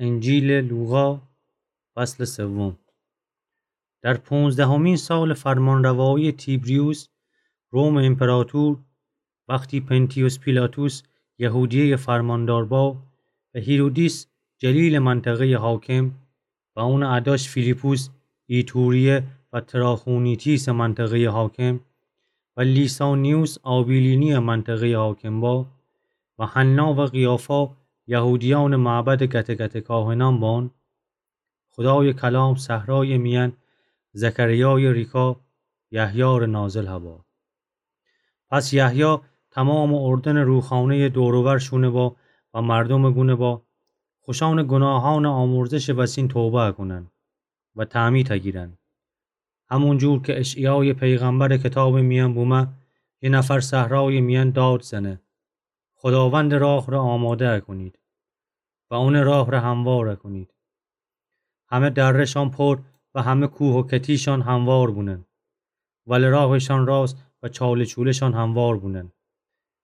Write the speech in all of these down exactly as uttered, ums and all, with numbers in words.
انجیل لوقا، فصل سوم. در پونزدهمین سال فرمانروایی تیبریوس، روم امپراتور، وقتی پنتیوس پیلاطس یهودیه‌ی فرماندار با و هیرودیس جلیل منطقه‌ی حاکم و اونٚ اداش فیلیپوس ایتوریه و تراخونیتیسٚ منطقه‌ی حاکم و لیسانیوس آبیلینییٚ منطقه‌ی حاکم با و حنا و قیافا یهودیأنٚ معبدٚ گته گته کاهنأن بان، خودایٚ کلام صحرایٚ میأن زکریایٚ ریکا یحیی ره نازل هبا. پس یحیی تمامٚ اردنٚ روخانه‌یٚ دور و ور شونه با و مردومٚ گونه با خوشأنٚ گوناهأنٚ آمرزشٚ وسین توبه کونن و تعمید هگیرن. همونجور که اشعیایٚ پیغمبرٚ کتابٚ میأن بومه، یه نفر صحرایٚ میأن داد زنه: خداوندٚ راه ره آماده کونید و اونٚ راه ره هموار کونید. همه دره‌شان پر و همه کوه و کتیشان هموار بونن، ولی راهشان راست و چاله چوله‌شان هموار بونن.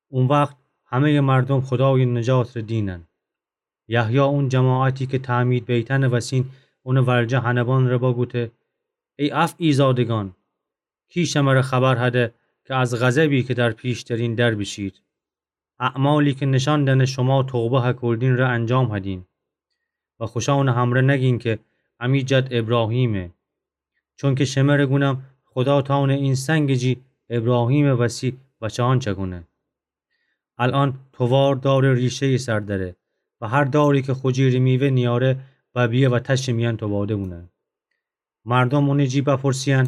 او وخت همه‌یٚ مردوم خودایٚ نجات ره دینن. یحیی اون جماعتی که تعمید بیتنٚ وسین اونٚ ورجه هنبان ره بگوته: ای افعی زادگان، کی شمره خبر هده که از غضبی که در پیش دأرین در بیشید؟ اعمالی که نشأن دأنه شما توبه هکودین ره انجام هدین و خوشأنٚ همره نگین که امی جد ابراهیمه. چونکه شمره گونم، خودا تأونه این سنگ جی ابراهیمٚ وسی بچه‌أن چکونه. الأن تووار دارٚ ریشه‌یٚ سر دره و هر داری که خو جیرٚ میوه نیاره، ببیه و تشٚ میأن توباده بونه. مردوم اونٚ جی بپرسییأن: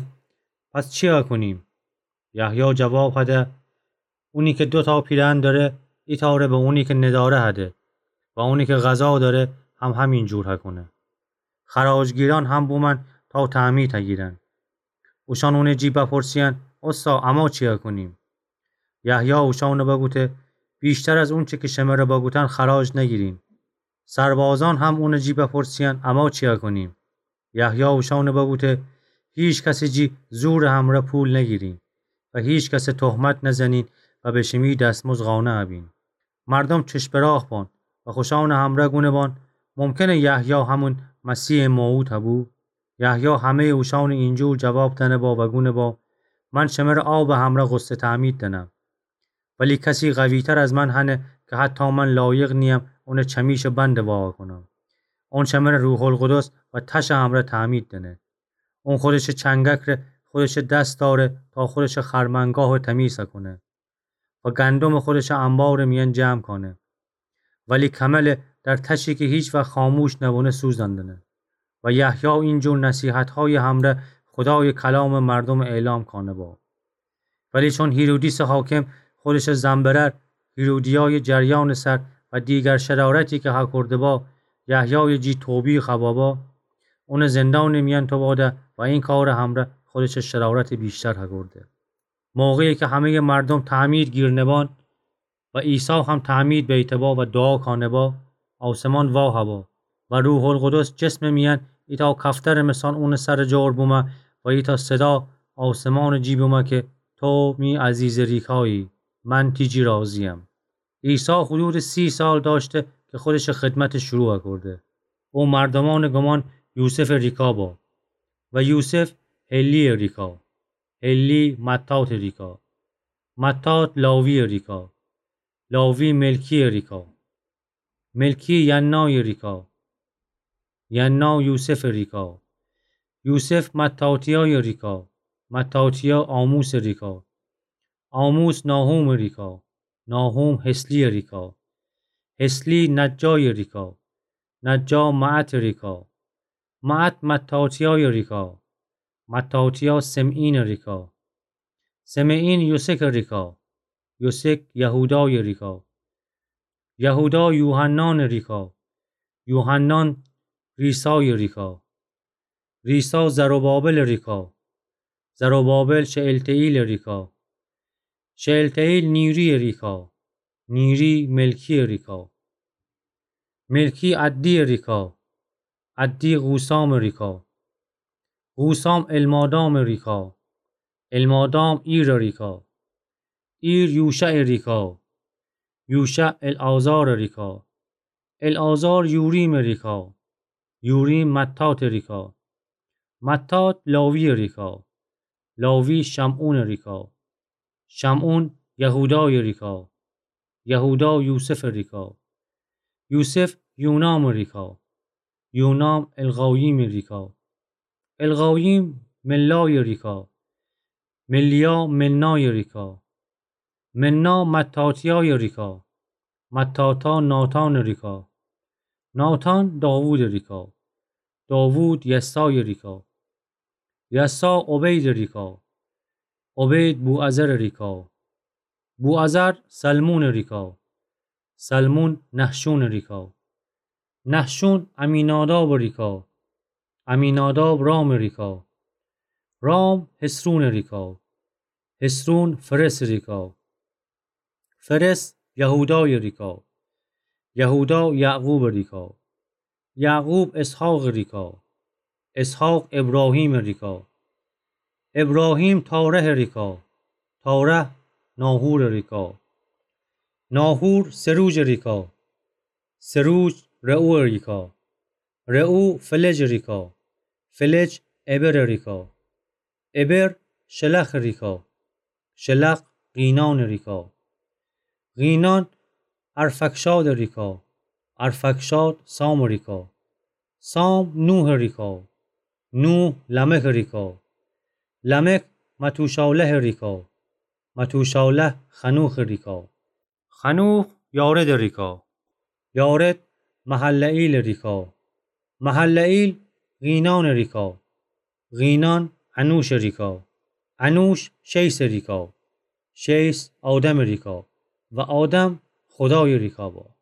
پس چیا کونیم؟ یحیی جواب هده: اونی که دوتا پیرهن دأره، ایتأ ره به اونی که ندأره هده و اونی که غذا دأره هم همینجور هکونه. خراجگیرأن هم بومن تا تعمید هگیرن. اوشأن اونٚ جی بپرسییأن: اوستا، اما چیا کونیم؟ یحیی اوشأنٚ بگوته: ویشتر از اونچه که شمره بگوتن خراج نگیرین. سربازأن هم اونٚ جی بپرسییأن: اما چیا کونیم؟ یحیی اوشأنٚ بگوته: هیچ کسٚ جی زورٚ همره پول نگیرین و هیچ کسٚ تهمت نزنین و به شیمی دسمزد قانع بین. مردوم چشم به راه بان و خوشأنٚ همره گونه بان: ممکنه یحیی همون مسیحٚ موعود هبو؟ یحیی همه‌یٚ اوشأنٚ اینجور جواب دأنه با و گونه با: من شمره آبٚ همره غسل تعمید دأنم، ولی کسی قوی‌تر از من هنه که حتی من لایق نییم اونٚ چمیشٚ بندٚ وا کونم. اون شمره روح‌القدس و تشٚ همره تعمید دأنه. اون خودشٚ چنگک ره خودشٚ دس دأره تا خودشٚ خرمنگاه تمیز کونه و گندومٚ خودشٚ انبارٚ میأن جمع کانه. ولی کمله در تشی که هیچ وقت خاموش نبونه سوزاندنه. و یحیی اینجور نصیحت‌هایٚ همره خودایٚ کلامٚ مردومٚ اعلام کانه با. ولی چون هیرودیسٚ حاکم خودشٚ زن برأر هیرودیایٚ جریانٚ سر و دیگر شرارتی که هکرده با، یحیایٚ جی توبیخ هبا با، اونٚ زندانٚ میأن توباده و این کارٚ همره خودشٚ شرارتٚ بیشتر هکرده. موقعی که همه‌یٚ مردوم تعمید گیرنه بان و عیسی هم تعمید بیته با و دوعا کانه با، آسمان وا هبا و روح‌القدس جسمٚ میأن ایتأ کفترٚ مثان اونٚ سرٚ جور بومه و ایتأ صدا آسمانٚ جی بومه که تو می عزیزٚ ریکایی، من تی جی راضییم. عیسی حدودٚ سی سال دأشته که خودشٚ خدمتٚ شروع کرده. او مردومأنٚ گومان یوسفٚ ریکا با و یوسف حلیٚ ریکا، حلی متاتٚ ریکا، متات لاویٚ ریکا، لاوی ملکیٚ ریکا، ملکی یعنایٚ ریکا، یعنا یوسفٚ ریکا، یوسف متاتیایٚ ریکا، متاتیا آموسٚ ریکا، آموس ناحومٚ ریکا، ناحوم حسلیٚ ریکا، حسلی نجایٚ ریکا، نجا معتٚ ریکا، معت متاتیایٚ ریکا، متاتیا سمعینٚ ریکا، سمعین یوسکٚ ریکا، یوسک یهودایٚ ریکا، یهودا یوحنانٚ ریکا، یوحنان ریسایٚ ریکا، ریسا زروبابلٚ ریکا، زروبابل شئلتئیلٚ ریکا، شئلتئیل نیریٚ ریکا، نیری ملکیٚ ریکا، ملکی عدیٚ ریکا، عدی قوسامٚ ریکا، قوسام المادامٚ ریکا، المادام ایرٚ ریکا، ایر یوشعٚ ریکا، یوشع العازارٚ ریکا، العازار یوریمٚ ریکا، یوریم متاتٚ ریکا. متات لاویٚ ریکا. لاوی شمعونٚ ریکا. شمعون یهودایٚ ریکا. یهودا یوسفٚ ریکا. یوسف یونامٚ ریکا. یونام القاییمٚ ریکا. القاییم ملایٚ ریکا. ملیا منایٚ ریکا. منا متاتیایٚ ریکا. متاتا ناتانٚ ریکا. ناتان داوودٚ ریکا. داوود یسایٚ ریکا. یسا عبیدٚ ریکا. عبید بوعزرٚ ریکا. بوعزر سلمونٚ ریکا. سلمون نحشونٚ ریکا. نحشون عمینادابٚ ریکا. عمیناداب رامٚ ریکا. رام حصرونٚ ریکا. حصرون فرسٚ ریکا. فرس یهودایٚ ریکا. یهودا یعقوبٚ ریکا. یعقوب اسحاقٚ ریکا. اسحاق ابراهیمٚ ریکا. ابراهیم تارحٚ ریکا. تارح ناحورٚ ریکا. ناحور سروجٚ ریکا. سروج رعویٚ ریکا. رعو فلجٚ ریکا. فلج ابرٚ ریکا. ابر شلخٚ ریکا. شلخ قینانٚ ریکا. قینان ارفکشادٚ ریکا. ارفکشاد سامٚ ریکا. سام نوحٚ ریکا. نوح لمکٚ ریکا. لمک متوشالحٚ ریکا. متوشالح خنوخٚ ریکا. خنوخ یارد ریکا. یارد مهلئیل ریکا. مهلئیل قینان ریکا. قینان انوش ریکا. انوش شیث ریکا. شیث آدم ریکا. و آدم خدای ریکا با.